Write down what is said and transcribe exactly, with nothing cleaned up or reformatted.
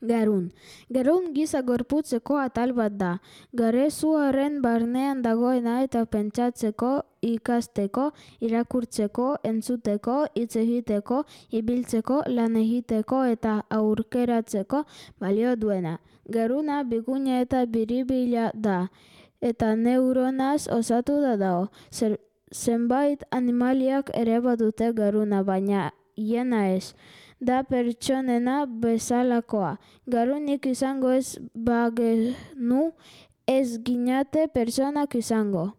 Garun. Garun giza gorputzeko atal bat da. Garezuaren barnean dagoena eta pentsatzeko, ikasteko, irakurtzeko, entzuteko, hitz egiteko, ibiltzeko, lan egiteko eta aurkeratzeko balio duena. Garuna biguna eta biribila da, eta neuronaz osatu da dago. Zer, zenbait animaliak ere badute garuna, baina hiena ez. Da pertsonena bezalakoa. Garunik izango ez bagenu, ez ginate pertsonak izango.